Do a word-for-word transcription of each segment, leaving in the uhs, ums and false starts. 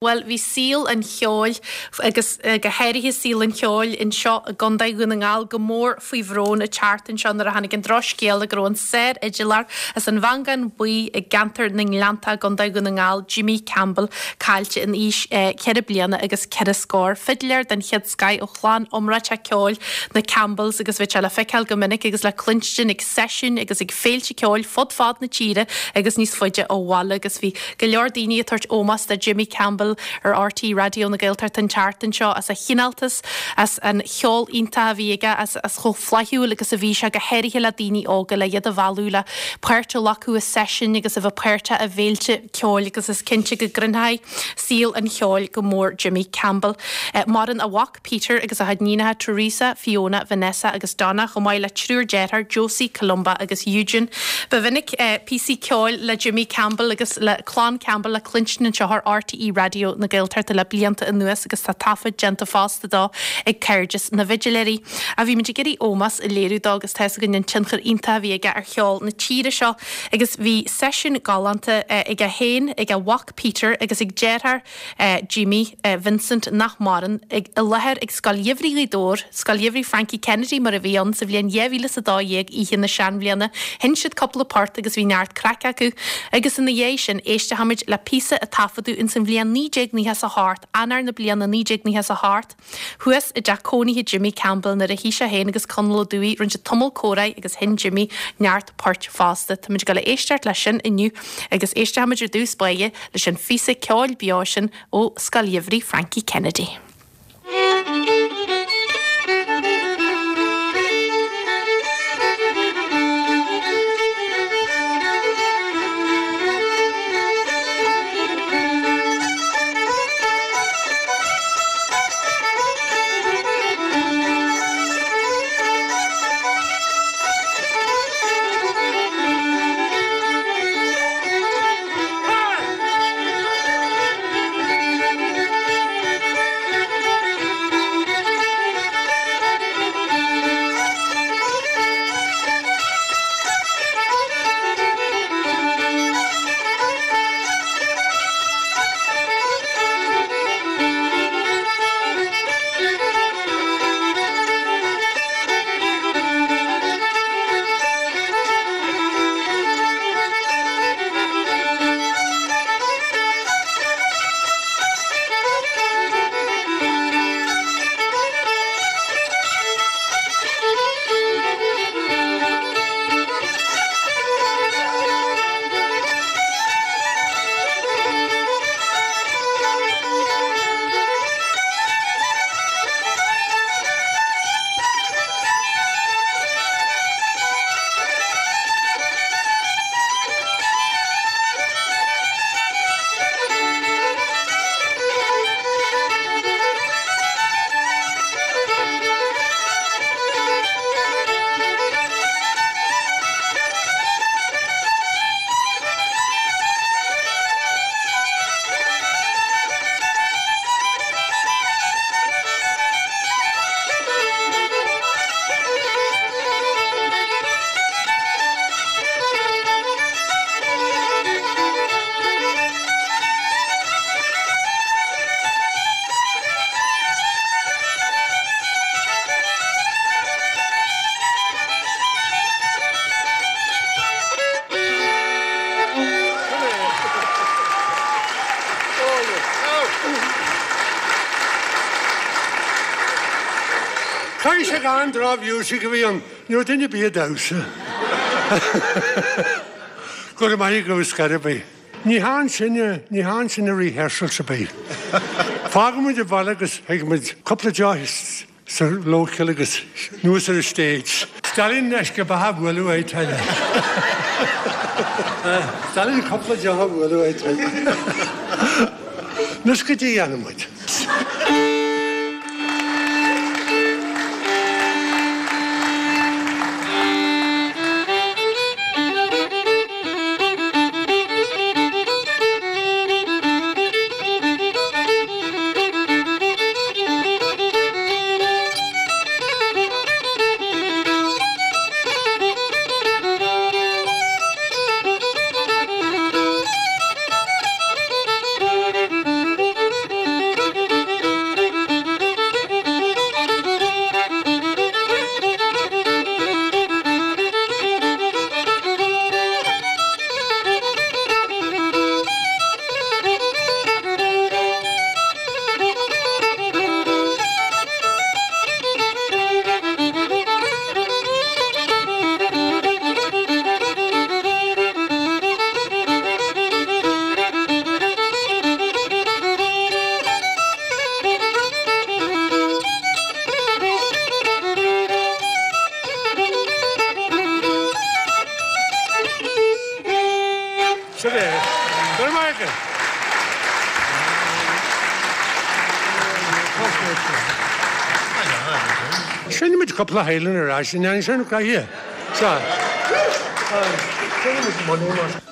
Bhuel, bhí saol an cheoil agus go háirithe saol an cheoil anseo i gContae Dhún na nGall go mór faoi bhrón an tseachtain seo nuair a tháinig an drochscéala go raibh an sárfhidléir as an Mhangán Buí i gceantar na nGleannta i gContae Dhún na nGall, Jimmy Campbell, caillte in aois ceithre bliana agus ceithre scór. Fidléir den chéad scoth ó chlann iomráiteach ceoil na Campbells agus bhí sé le feiceáil go minic agus le cluinstin ag seisiúin agus ag féilte ceoil fud fad na tíre agus níos faide ó bhaile agus bhí go leor daoine ag tabhairt ómós do Jimmy Campbell ar R T Raidió na Gaeltachta an tseachtain seo as a chineáltas, as an cheol iontach a bhí aige, as as chomh flaithiúil agus a bhí sé go háirithe le daoine óga le iad a mhealladh le páirt a ghlacadh i seisiúin agus a bheith páirteach i bhféilte ceoil agus is cinnte go gcroinfidh saol an cheoil go mór Jimmy Campbell. Maireann a mhac Peter agus a chuid níonacha Teresa, Fiona, Vanessa agus Donna chomh maith le triúr dearthár Josie, Columba agus Eugene. Ba mhinic píosaí ceoil le Jimmy Campbell agus le clann Campbell le cluinstin anseo ar R T E Raidió na Gaeltachta le blianta anuas agus tá taifead déanta fosta dó ag Cairdeas na bhFidléirí. A bhí muid ag iarraidh ómós a léiriú dó agus tá a fhios againn an tionchar iontach a bhí aige ar cheol na tíre seo agus bhí seisiún galánta aige féin ag a mhac Peter agus ag deartháir Jimmy Vincent nach maireann i láthair ag Scoil Gheimhridh Ghaoth Dobhair, Scoil Gheimhridh Frankie Kennedy mar a bhí ann sa bhliain dhá mhíle is a dó dhéag oíche na seanbhliana. Sheinn siad cúpla port agus bhí neart craic acu agus ina dhiaidh sin éistfimid le píosa a taifeadadh ins an bhliain naoi déag nócha is a hocht, Eanáir na bliana naoi déag nócha is a hocht, thuas i dteach cónaithe Jimmy Campbell nuair a shuigh sé féin agus Conall Ó Dubhthaigh, rinne siad tamall comhrá agus sheinn Jimmy neart poirt fosta. Táimid ag dul a éisteacht leis sin inniu agus éistfimid ar dtús báire leis an phíosa ceoil beo sin ó Scoil Gheimhridh Frankie Kennedy. Caithfidh sé gan drochmhiúsac a bhí ann, ní raibh duine ar bith ag damhsa. Go raibh maith agat scor ar bith. Ní hann sinne, ní hann sinne rehearsals ar bith. Fágann muid an baile agus thig muid cúpla deoch sa local agus anuas ar an stage. Stalin uisce beatha a bhualadh é tuile. Stalin cúpla deoch a bhualadh é tuile. Anois go dtí dhéanann muid. Seinnfidh muid cúpla Highland ar ais, an ndéanfaidh sin caithfidh. Sea. Seinnfidh muid Money mar.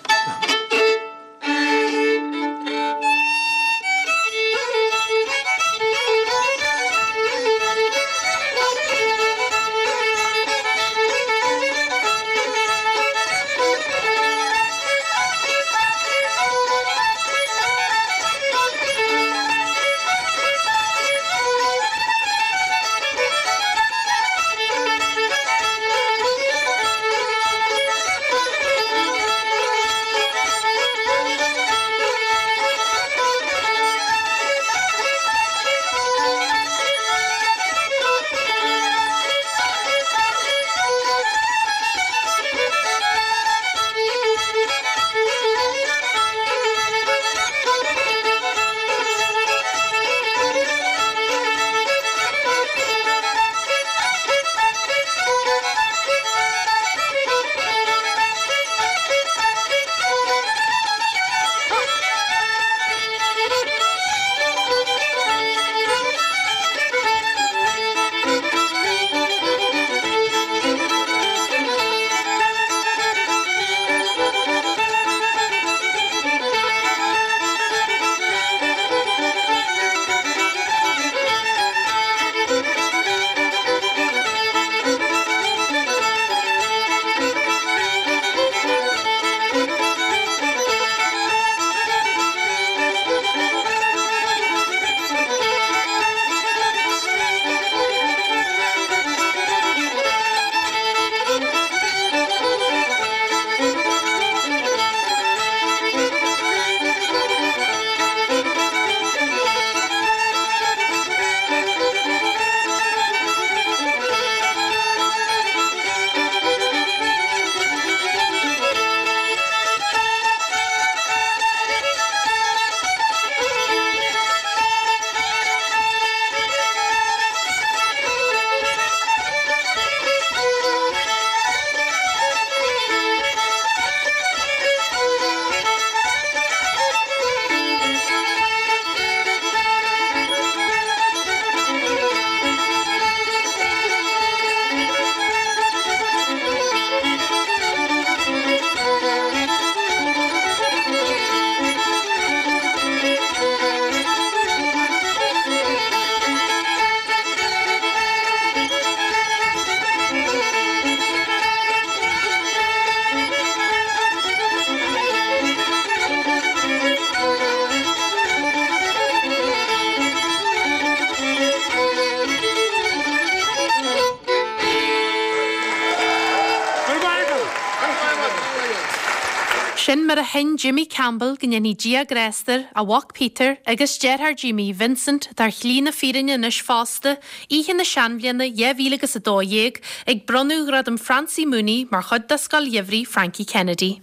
Sin mar a sheinn Jimmy Campbell go ndéanfaidh Dia grásta air, a mhac Peter agus deartháir Jimmy, Vincent, atá ar shlí na fírinne anois fosta, oíche na seanbhliana dhá mhíle agus a dó dhéag, ag bronnadh Ghradam Francie Mooney mar chuid de Scoil Gheimhridh Frankie Kennedy.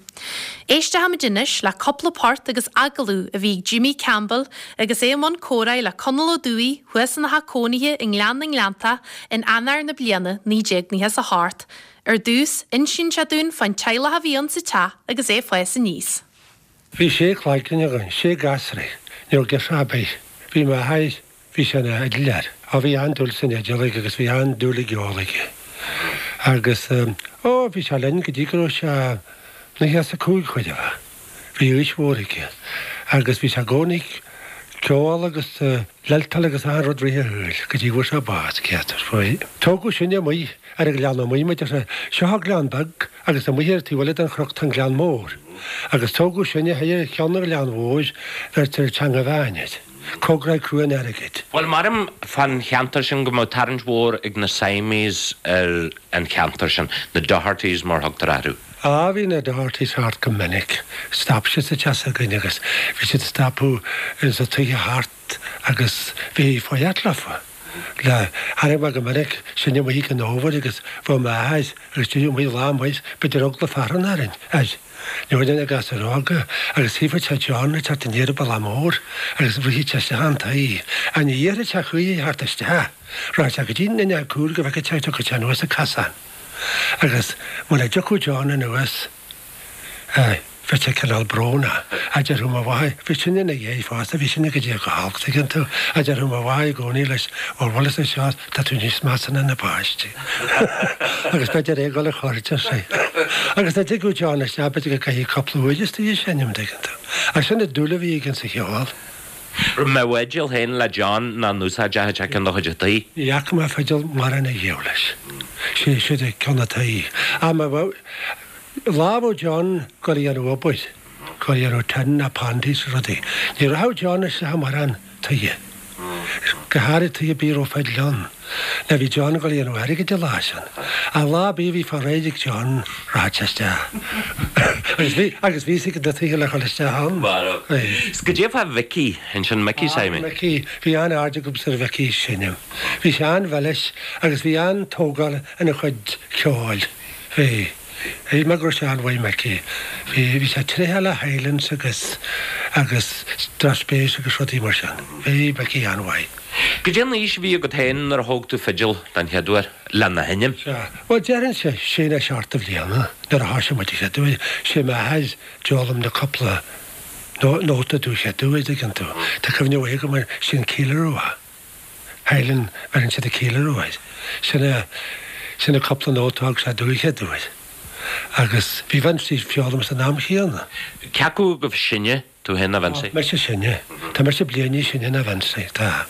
Éistfimid anois le cúpla port agus agallamh a bhí ag Jimmy Campbell agus é i mbun comhrá le Conall Ó Dúill thuas ina theach cónaithe i nGleann na nGleanntach in Eanáir na bliana naoi déag nócha is a hocht. Ar dtús, insíonn sé dúinn fán teaghlach a bhí ann sa teach agus é ag fás aníos. Bhí sé clainne againn, sé gasraí, ní raibh girseach ar bith. Bhí m'athair, bhí sé ina fhidléir. Á bhí an-dúil san fhidil aige agus bhí an-dúil i gceol aige. Agus ó bhí sé linn go dtí go raibh sé nócha is a cúig chóir a bheith. Bhí aois mhór aige. Agus bhí sé i gcónaí ceol agus lilteáil agus achan rud rith a shúil go dtí go bhfuair sé bás, céadtar faoi. Tógadh sinne amuigh ar an ghleann amuigh muid ar seo an gleann beag agus amuigh ar taobh eile den chnoc tá an gleann mór. Agus tógadh sinne thiar ar cheann an ghleann mhóir bheirtear Teanga Mheáin air. Cóngarach Cruan Airgid. Bhuel maram fan cheantar sin go mbeadh tarraingt mhór ag na Siamese ar an cheantar sin, na Dohertys mar thugtar orthu. Á bhí na Dohertys thart go minic. Stop siad sa teach s'againn agus bhí siad ag stopadh insa tithe thart agus bhí foighid leofa. Le tháinig mé go minic sinne amuigh ag an fhómhar agus bheadh m'athair agus deireadh amuigh lá amuigh b'fhéidir eagla fearthainn orainn air. Ní raibh na gasúir óga agus tchífeadh sé John ag teacht aniar an bealach mór agus rithfeadh sé isteach an tí. Ní iarrfadh sé choíche theacht isteach. Rachadh sé go dtí an fhuinneog cúil go bhfeicfeadh sé tiocfadh sé anuas an casán. Agus muna dtiocfadh John anuas, Bhí sé cineál brónach, a déarfadh mo mháthair, bhí sin ina dhiaidh fosta, bhí sin go dtí go holc, tuigeann tú, a déarfadh mo mháthair i gcónaí leis, bhuel, bhfuil fhios anseo, tá tú níos measa ná na páistí. Agus b'fhéidir é ag dul a chur, deir sí. Agus dá dtigeadh John isteach, b'fhéidir go gcaithfí cúpla uair istigh a sheinm, tuigeann tú. Ach sin an dúil a bhí aige sa cheol. Raibh mé bhfidil féin le John ná in úsáid a chuid ceann de chuid an tí? Ní fhaca mé fidil mórán a dhiabhal leis. Sé siúd ceann an tí. Ach má bheadh. Lá a bheadh John ag dul a dhéanamh obair, ag dul a dhéanamh tin ná panties is rudaí, ní rachadh John isteach i mórán tithe, go háirid tithe ar bith a raibh fidil ann, ná bhí John ag dul a dhéanamh airgid an lá sin. Ach lá ar bith a bhí fá réidh ag John, rachadh sé isteach. Agus bhí, agus bhí fhios ag na tithe le dhul isteach ann. Marbh. Is goidé fá Mhicí, ansin Micí Simon? Ah, Micí, bhí an-aird agamsa ar Mhicí ag seinm. Bhí sé an-mhilis agus bhí an-tógáil ina chuid ceoil. Bhí. Shíl mé go raibh sé an-mhaith Micí. Bhí, bhí sé tréitheach le Highlands agus, agus drochspéis agus rudaí mar sin. Bhí Micí an-mhaith. Goidé an aois a bhí agat féin nuair a thóg tú fidil den chéad uair lena sheinm? Sea. Bhuel, déarfainnse sé nó seacht de bhliana nuair a thoisigh muid an chéad uair. Sé m'athair d'fhoghlaim na cúpla nóta domh an chéad uair, dtuigeann tú. Tá cuimhne mhaith agam air, sin Ceiliúradh. Highland, bheireann siad an ceiliúradh air. Sin a, sin a cúpla nóta a thug sé domh an chéad uair. Agus bhí Vincie ag foghlaim san am chéanna. Cé acu agaibh is sine, tú féin nó Vincie? Mise is sine. Tá mise bliain níos sine ná Vincie, tá.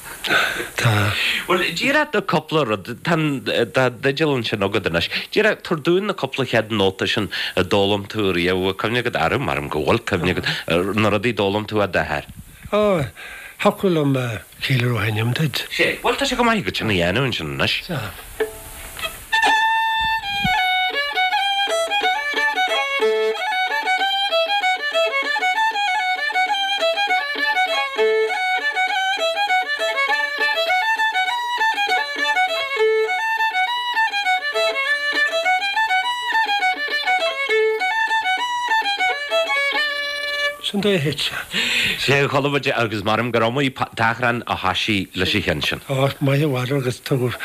Tá. Bhuel, díreach do cúpla rud, tá an, tá d'fhidil ansin agat anois. Díreach, tabhair dúinn na cúpla chéad nóta sin a d'fhoghlaim tú riamh. Bhfuil cuimhne agat orthu? Maram go bhfuil cuimhne agat ar na rudaí a d'fhoghlaim tú ó d'athair. Ó, thiocfadh liom ceiliúradh a sheinm duit. Sea, bhuel, tá sé go maith agat sin a dhéanamh ansin anois. Sea. Sin dóigh a thit sé. Sea, chuala muid agus maram gur iomaí tachrán a thoisigh leis an cheann sin. Ó, maith i bhfad agus tugadh,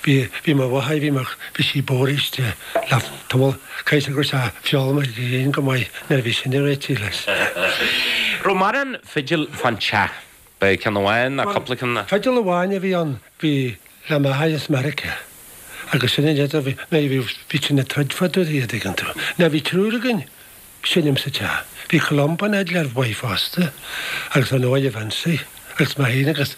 bhí, bhí mo mháthair, bhí mo, bhí sí bodhraithe le tamall, caithfidh go raibh sé foghlamtha aici féin go maith nuair a bhí sinne réitithe leis. Raibh mórán fidil fán teach? B'é ceann amháin nó cúpla ceann ná? Fidil amháin a bhí ann, bhí le m'athair as Meiriceá agus sin an fhidil a bhí, nó bhí, bhí sin ag troid fá dtaobh di, an dtuigeann tú. Nó bhí triúr againn. Seinm sa teach. Bhí Columban fhidléir mhaith fosta agus ar ndóigh Vincie agus mé féin agus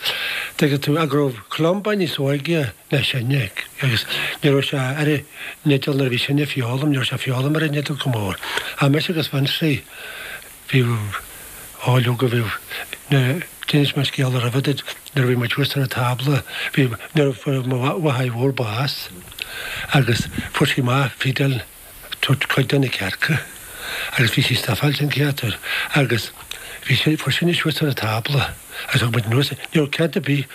tuigeann tú go raibh Columban níos óige ná sinne agus ní raibh sé ar an fhidil nuair a bhí sinne ag foghlaim, ní raibh sé ag foghlaim ar an fhidil go mór. Ach mise agus Vincie bhí ó leoga bhí na d'inis mé scéal roimhe duit nuair a bhí muid thuas ar an tábla bhí nuair a fuair mo mháthair mhór bás agus fuair sí amach fidil tabhairt cuid de na cearca agus bhí sí stafáilte an chéatúr agus bhí sé fuair sinne suas ar an tábla agus thug muid anuas ní raibh cead ar bith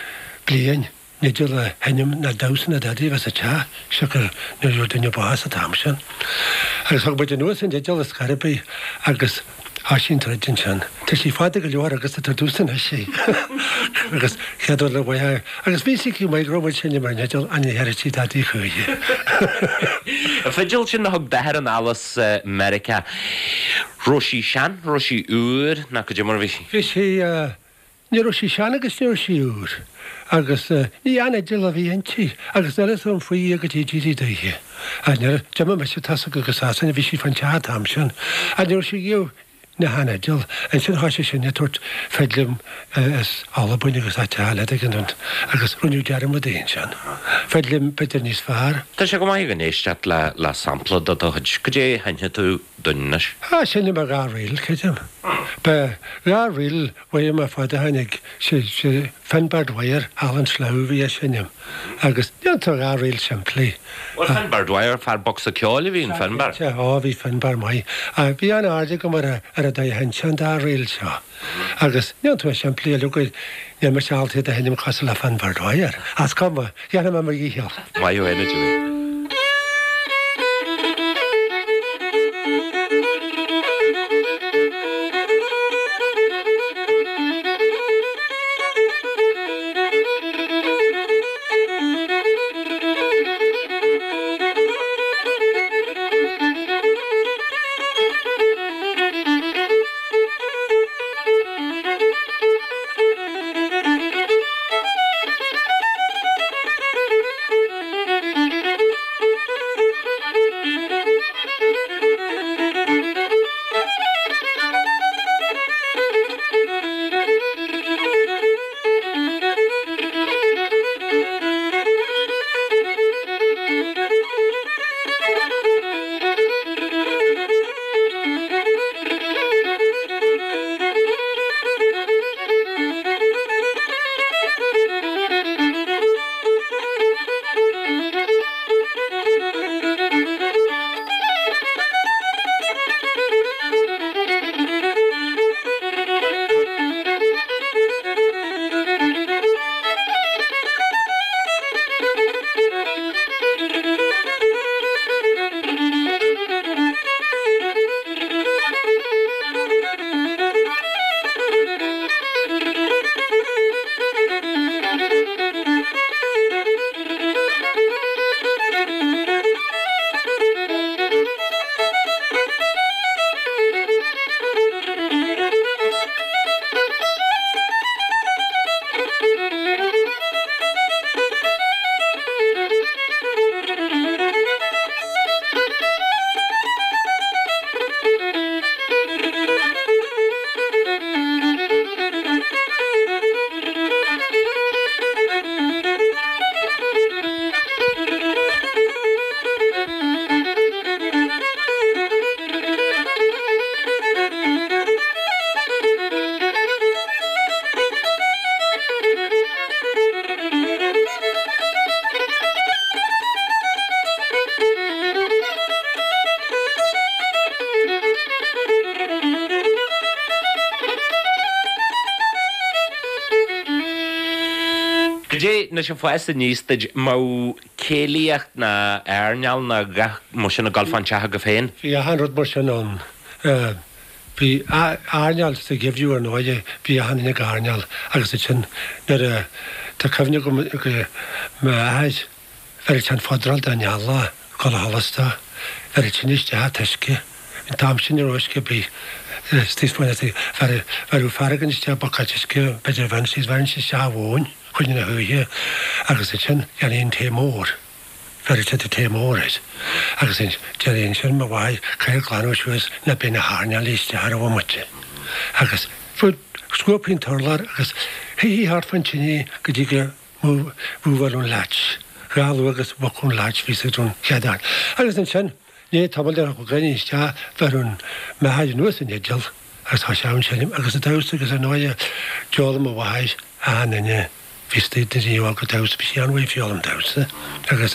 bliain an fhidil a sheinm ná damhsa ná dadaí a bheith sa teach siocair nuair a raibh duine bás an t-am sin agus thug muid anuas an fhidil ar scor ar bith agus thoisigh an troid ansin. Tá sí fada go leor agus tá tús anois í. Agus chéad uair le mhaith agus bhí sí go maith go raibh muid seinm ar an fhidil ach ní dhéarfaidh sí dadaí choíche. An fidil sin a thug d'athair anall as Meiriceá, raibh sí sean, raibh sí úr nó cad é mar a bhí sí? Bhí sí, ní raibh sí sean agus ní raibh sí úr agus ní an-fhidil a bhí inti agus níl fhios agam faoi í go dtí dírí daoithe. Ach nuair a d'imigh mise tosach go Sasana bhí sí fán teach an t-am sin ach ní raibh sí riamh ina sheanfhidil. Ansin thoisigh sinne ag tabhairt fidil as Albain agus áit eile tuigeann tú agus rinneadh dearmad di ansin. Fidil b'fhéidir níos fearr. Tá sé go maith againn éisteacht le le sampla de do chuid. Cad é a sheinnfidh tú dúinn anois? Ah, seinnfidh mé dhá ríl, creidim. Ba dhá ríl uaim ar fad a tháinig, sé sé Finbar Dwyer, Alan Slough a bhí á seinm agus déantar dhá ríl simplí. Bhuel, Finbar Dwyer, fear bocsa ceoil a bhí in Finbar. Sea, á bhí Finbar maith. Bhí an-aird agam ar ar an dóigh a sheinn sé an dá ríl seo. Agus déantar simplí uilig, níl mise ábalta iad a sheinm cosúil le Finbar Dwyer. Is cuma, dhéanfaidh mé mo dhícheall. Maith thú fhéin, a Jimí. Goidé anois ag fás aníos duid mbeadh céilíocht ná airneál ná a dhath mar sin ag dul fán teach agaibh féin? Bhí achan rud mar sin ann. Bhí airneál sa gheimhreadh ar ndóighe, bhí achan duine ag airneál agus ansin nuair a, tá cuimhne agam go m'athair, bheireadh sé an fudráil don eallach ag dul a sholas dó, bheireadh tine isteach an t-uisce, an t-am sin ní raibh uisce ar bith istigh faoina, bheireadh fear éigin isteach buicéad uisce, b'fhéidir bheireann siad, bheireann siad isteach an mhóin. Choinne na hoíche agus ansin dhéanfaí an tae mór, bheireadh siad an tae mór air agus déarfaí ansin mo mháthair caithfidh glanadh suas ná beidh na hairneálaí isteach ar an bhomaite agus scuabfaí an t-urlár agus shuífí thart fán tine go dtí go mbuailfeadh an latch, dhá luath agus bhogfadh an latch bhí siad ón chéad fhear agus ansin i ndiaidh tamaill déarfadh gach éinne isteach bheireadh m'athair anuas an fhidil agus tá sé ann seinm agus ag damhsa agus ar ndóighe d'fhoghlaim mo mháthair achan duine bhí istigh na daoine óga damhsa bhí sí an-mhaith ag foghlaim damhsa agus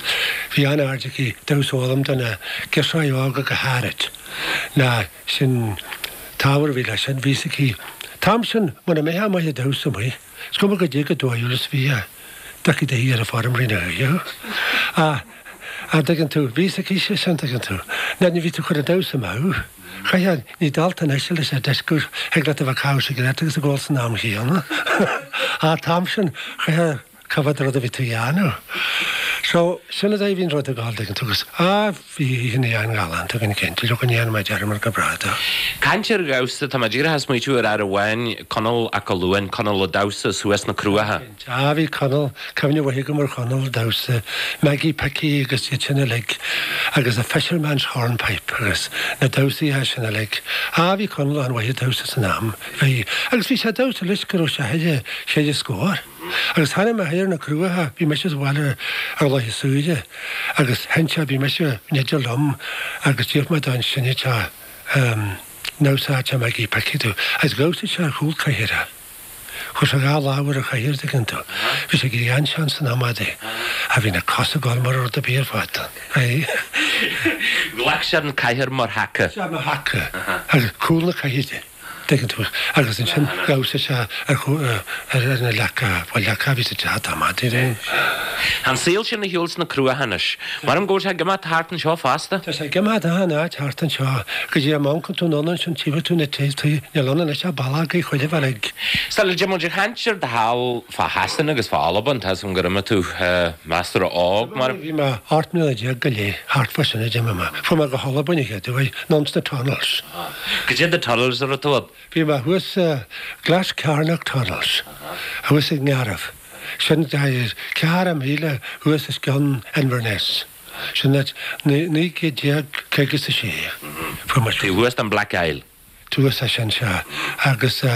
bhí an-aird aici damhsa a fhoghlaim do na girseachaí óga go háirid ná sin t-ábhar a bhí leis sin bhí fhios aici t-am sin muna mbeifeá maith ag damhsa amuigh is cuma goidé chomh dóighiúil is bhí d'fheicfí do shuí ar an bhfeirm rí na hoíche thú. An dtuigeann tú? Bhí fhios aici sé sin, tuigeann tú. Ná ní bhí tú ag cur an damhsa amú. Chaithfeá, ní dálta anois leis an dioscúrsa, thig leat a bheith ag caitheamh sigaréad agus ag ól san am chéanna. An t-am sin, chaithfeá coimhéad rud a bhí tú a dhéanamh. So, sin an dóigh a bhí an rud ag dul, tuigeann tú, agus, ah, bhí oícheanna an-ghalánta againn cinnte, look, an ndéanfaidh mé dearmad go bráth dó. Caint ar dhamhsa, tá mé díreach ag smaoitiú ar fhear amháin, Conall 'Ac Fholuain, Conall a' Damhsa, suas sna Cruacha. Ah, bhí Conall, cuimhne mhaith agam ar Chonall ag damhsa, Maggie Picky agus iad sin uilig, agus the Fisherman's Hornpipe agus na damhsaithe sin uilig. Ah, bhí Conall an-mhaith ag damhsa san am, bhí. Agus bhí sé ag damhsa leis go raibh sé cheithre, cheithre scór. Agus tháinig mé thiar na Cruacha, bhí mise sa bhaile ar Loch Súilí agus sheinn sé, bhí mise in fhidil liom agus d'iarr mé dó an seinnfeadh sé an ndamhsódh sé Maggie Picky domh agus dhamhsaigh sé ar chúl cathaoire. Chuir sé dhá lámh ar an chathaoir, tuigeann tú. Bhí sé ag éirí an-sean san am adaí. Ach bhí na cosa ag dul mar rud ar bith ar fad. Aye. Ghlac sé an cathaoir mar thaca. Sea, mar thaca. Agus cúl na cathaoire, tuigeann tú. Agus ansin dhamhsaigh sé ar ar na leaca, bhuel leaca a bhí sa teach an t-am adaí. Tá an saol sin ar shiúl sna Cruacha anois. Maram go bhfuil sé ag imeacht thart anseo fosta. Tá sé ag imeacht achan áit thart anseo. Go dtí an amhancann tú anonn ansin tchífidh tú na tithe, níl ann anois ach bealach ag chuile bhealach ag. Sula dtéann muid ag caint ar do shaol fá Shasana agus fá Albain, tá 'fhios a'm gur imigh tú measartha óg mar. Bhí mé ocht mbliana déag go leith, thart fá sin a d'imigh mé. Fuair mé go hAlbain an chéad uair, anonn sna tunnels. Goidé na tunnels a raibh tú ann? Bhí mé thuas sa Glascarnoch Tunnels, thuas i nGarbh. Sin ceathracha míle thuas os cionn Inverness. Sin áit naoi gcéad déag caoga is a sé. Fuair muid. Taobh thuas den Black Isle. Thuas é sin, sea. Agus go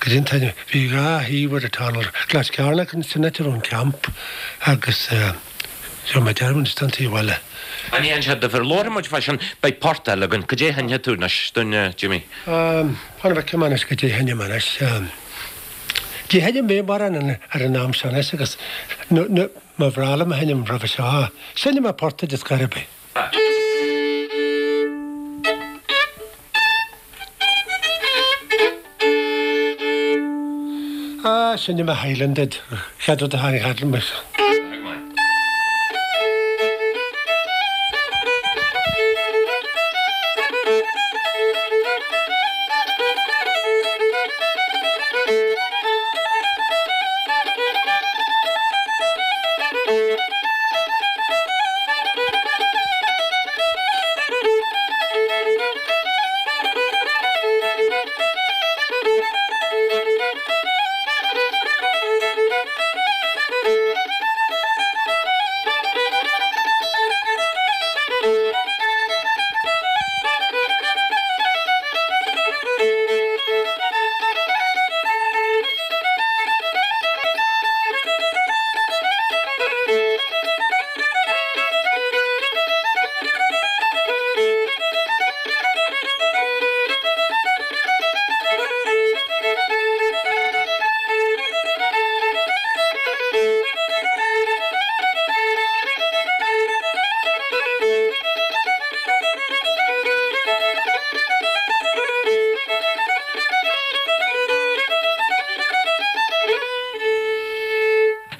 dtí an t-ainm, bhí dhá thaobh ar an tunnel, Glascarnoch, sin áit a raibh an camp, agus seo mé dearmad anois den taobh eile. An ndéanann sé difear? Labharfaidh muid fá sin, beidh port eile againn. Cad é a sheinnfidh tú anois dúinn, Jimmy? Fan go bhfeicfidh mé anois cad é a sheinnfidh mé anois. Ní sheinnim mé mórán ar an am seo anois agus má bhreá liom a sheinm roimhe seo, seinnfidh mé port duit ar scor ar bith. Ah, seinnfidh mé Highland duit, chéad rud a tháinig thart liom.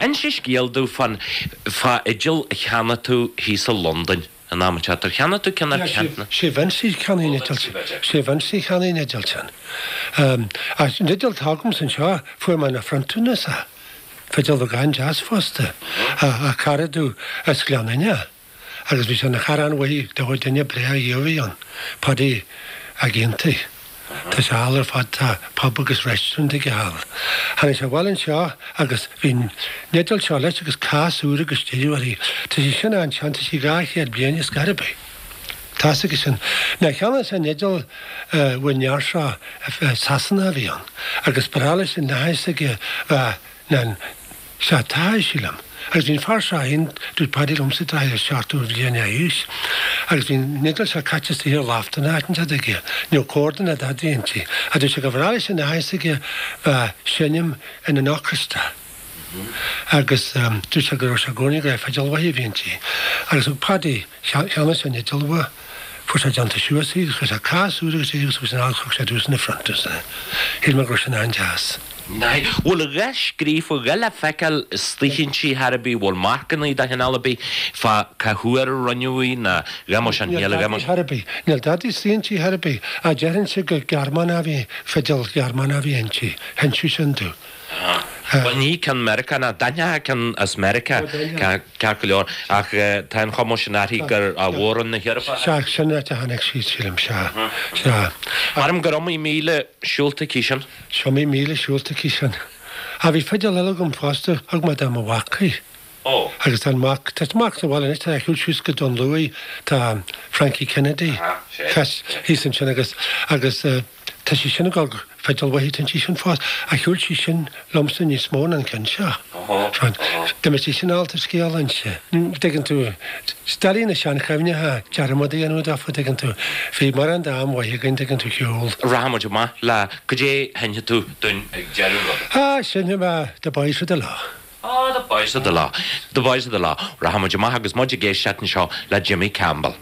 Inse scéal domh fán fá fhidil a cheannaigh tú thíos i Londain an am seo. Ar cheannaigh tú ceann ar ceann? Sé Vincy a cheannaigh an fhidil sin. Sé Vincy a cheannaigh an fhidil sin. Ach an fhidil atá agamsa anseo, fuair mé ina phrionntúnas é. Fidil bheag an-deas fosta. Ó chara domh as Gleann Fhinne. Agus bhí sé ina chara an-mhaith do dhuine breá a bhí ann, Paddy Ag Aontaigh. Tá sé thall ar fad, tá pub agus restaurant aige thall. Tháinig sé abhaile anseo agus bhí an fhidil seo leis agus cás úr agus deireadh uirthi. Tá sí sin an-sean, tá sí dhá chéad bliain ar scor ar bith. Tá's aige sin. Nuair a cheannaigh sé an fhidil ón fhear seo, Sasanach a bhí ann, agus ba bhreá leis an nath aige bheith ná Sea, tá, sílim. Agus bhí an fear seo féin, dúirt Paddy liomsa, tráth ar seachtó bhliain d'aois, agus bhí an fhidil seo caite istigh ar loft in áit inteacht aige, ní raibh corda ná dadaí inti, ach dúirt sé gur bhreá leis an nath aige bheith seinm in an orchestra. Agus dúirt sé go raibh sé i gcónaí go raibh fidil mhaith a bhí inti. Agus thug Paddy, cheannaigh sé an fhidil uaidh, fuair sé déanta suas í agus chuir sé cás úr agus é agus thug sé an thug sé domhsa ina phrionntús é. Shíl mé go raibh sin an-deas. Bhfuil a dhath scríofa, a dhath le feiceáil istigh inti chor ar bith, bhfuil marcannaí de chineál ar bith fá cá huair a rinneadh í ná dhá mbeadh sin, níl a dhath mar. Chor ar bith. Níl dadaí istigh inti chor ar bith. Ach déarfainnse gur Gearmánach a bhí, fidil Ghearmánach a bhí inti. Hinseadh sin domh. Bhuel ní ceann Meiriceánach, d'aithneofá ceann as Meiriceá ceart go leor ach tá an chuma sin uirthi gur ó Mhór-Roinn na hEorpa. Sea, sin áit a tháinig sí, sílim, sea, sea. Maram gur iomaí míle siúlta aici sin. Is iomaí míle siúlta aici sin. Ach bhí fidil eile agam fosta, thug mé do mo mhac í. Ó. Agus tá an mac, tá mac sa bhaile anois, tá shiúl suas go Dún Lúiche, tá Frankie Kennedy, thíos ansin agus, agus, Tá sí sin ag dul fidil mhaith, tá sí sin fós, ach shiúil sí sin liomsa níos mó ná an ceann seo. Dá mbeadh sí sin ábalta scéal a inse. Dtuigeann tú, is doiligh na seanchuimhneacha dearmad a dhéanamh daofa, dtuigeann tú. Bhí mórán d'am mhaith againn, dtuigeann tú, shiúl. Rachaidh muid amach le cad é a sheinnfidh tú dúinn ag deireadh an ruda. Ah, seinnfidh mé The Boys of the Lough. Ah, The Boys of the Lough. The Boys of the Lough. Rachaidh muid amach agus muid ag éisteacht anseo le Jimmy Campbell.